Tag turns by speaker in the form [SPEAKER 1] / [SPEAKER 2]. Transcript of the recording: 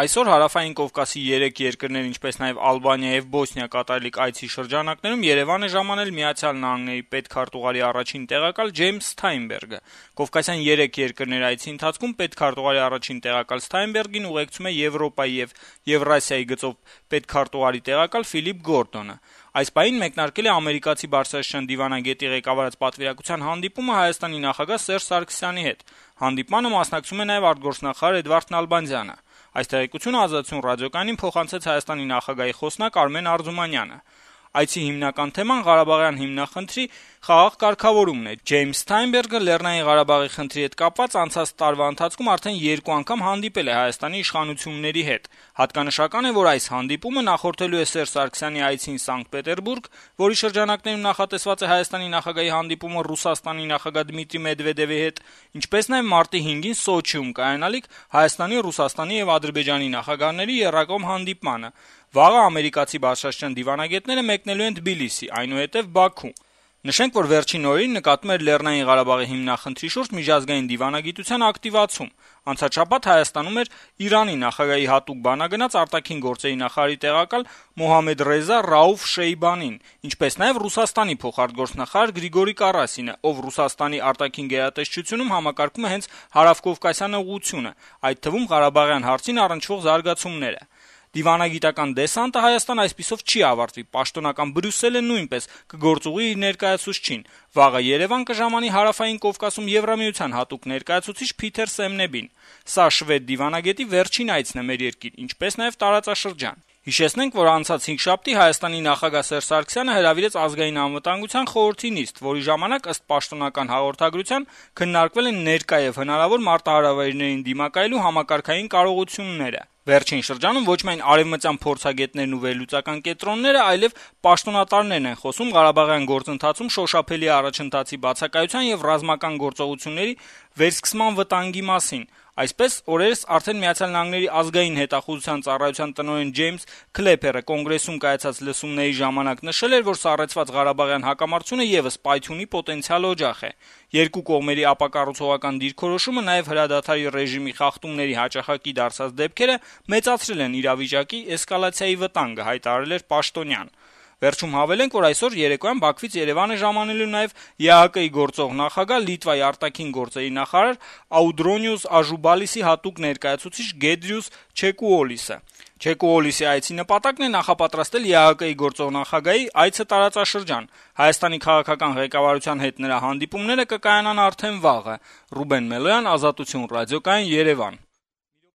[SPEAKER 1] Այսօր Հարավային Կովկասի 3 երկրներ, ինչպես նաև Ալբանիա եւ Բոսնիա կատարելիք այցի շրջանակներում Երևան է ժամանել ԱՄՆ պետքարտուղարի առաջին տեղակալ Ջեյմս Սթայնբերգը։ Կովկասյան 3 երկրներ այցի ընթացքում պետքարտուղարի առաջին տեղակալ Սթայնբերգին ուղեկցում է Եվրոպայի եւ Եվրասիայի գծով պետքարտուղարի տեղակալ Ֆիլիպ Գորդոնը։ Այս պահին մեկնարկել է ամերիկացի բարձրաստիճան դիվանագետի ղեկավարած պատվիրակության հանդիպումը Հայաստանի նախագահ Սերժ Սարգսյանի հետ։ Հանդիպմանը մասնակցում է նաև արտգործնախարար Էդվարդ Նալբանդյանը։ Այս տեղեկությունը Ազատություն ռադիոկայանին փոխանցեց Հայաստանի նախագահի խոսնակ Արմեն Արզումանյանը։ Այցի հիմնական թեման Ղարաբաղյան հիմնախնդրի խաղաղ կարգավորումն է։ Ջեյմս Սթայնբերգը Լեռնային Ղարաբաղի խնդրի հետ կապված անցած տարվա ընթացքում արդեն 2 անգամ հանդիպել է Հայաստանի իշխանությունների հետ։ Հատկանշական է, որ այս հանդիպումը նախորդելու է Սերժ Սարգսյանի այցին Սանկտ Պետերբուրգ, որի շրջանակներում նախատեսված է Հայաստանի նախագահի հանդիպումը Ռուսաստանի նախագահ Դմիտրի Մեդվեդևի հետ, ինչպես նաև մարտի 5-ին Սոչիում կայանալիք Հայաստանի, Ռուսաստանի եւ Ադրբեջանի նախագահների եռակողմ հանդիպմանը։ Վաղը ամերիկացի բարձրաստիճան դիվանագետները մեկնելու են Թբիլիսի, այնուհետև Բաքու։ Նշենք, որ վերջին օրերին նկատվում էր Լեռնային Ղարաբաղի հիմնախնդրի շուրջ միջազգային դիվանագիտության ակտիվացում։ Անցած շաբաթ Հայաստանում էր Իրանի նախագահի հատուկ բանագնաց արտաքին գործերի նախարարի տեղակալ Մոհամմեդ Ռեզա Ռաուֆ Շեյբանին, ինչպես նաև Ռուսաստանի փոխարտգործնախարար Գրիգորի Կարասինը, ով Ռուսաստանի արտաքին գերատեսչությունում համակարգում է հենց հարավկովկասյան ուղղությունը, այդ թվում Ղարաբաղյան հարցին առնչվող զարգացումները։ Դիվանագիտական դեսանտը Հայաստան այսպիսով չի ավարտվի, պաշտոնական Բրյուսելը նույնպես կգործուղի իր ներկայացուցչին։ Վաղը Երևան կժամանի Հարավային Կովկասում Եվրամիության հատուկ ներկայացուցիչ Փիթեր Սեմնեբին։ Սա շվեդ դիվանագետի վերջին այցն է մեր երկիր, ինչպես նաև տարածաշրջան։ Հիշեցնենք, որ անցած 5 Հայաստանի նախագահ Սերժ Սարգսյանը հրավիրեց Ազգային անվտանգության խորհրդի նիստ, որի ժամանակ ըստ պաշտոնական հաղորդագրության քննարկվել են ներկա եւ հնարավոր մարտահրավերներին դիմակայելու համակարգային կարողությունները։ Վերջին շրջանում ոչ միայն արևմտյան փորձագետներն ու վերլուծական կենտրոնները, այլև պաշտոնատարներն են խոսում Ղարաբաղյան գործընթացում շոշափելի առաջընթացի բացակայության եւ ռազմական գործողությունների վերսկսման վտանգի մասին։ Այսպես, օրերս արդեն ԱՄՆ ազգային հետախուզության ծառայության տնօրեն Ջեյմս Քլեփերը կոնգրեսում կայացած լսումների ժամանակ նշել էր, որ սառեցված Ղարաբաղյան հակամարտությունը եւս պայթյունի պոտենցիալ օջախ է։ Երկու կողմերի ապակառուցողական դիրքորոշումը նաեւ հրադադարի ռեժիմի խախտումների հաճախակի դարձած դեպքերը մեծացրել են իրավիճակի էսկալացիայի վտանգը, հայտարարել էր Պաշտոնյան։ Վերջում հավելենք, որ այսօր երեկոյան Բաքվից Երևան է ժամանելու նաև ԵԱՀԿ-ի գործող նախագահ Լիտվայի արտաքին գործերի նախարար Աուդրոնիուս Աժուբալիսի հատուկ ներկայացուցիչ Գեդրիուս Չեկուոլիսը։ Չեկուոլիսի այցի նպատակն է նախապատրաստել ԵԱՀԿ-ի գործող նախագահի այցը տարածաշրջան։ Հայաստանի քաղաքական ղեկավարության հետ նրա հանդիպումները կկայանան արդեն վաղը։ Ռուբեն Մելոյան, Ազատություն ռադիոկայան, Երևան։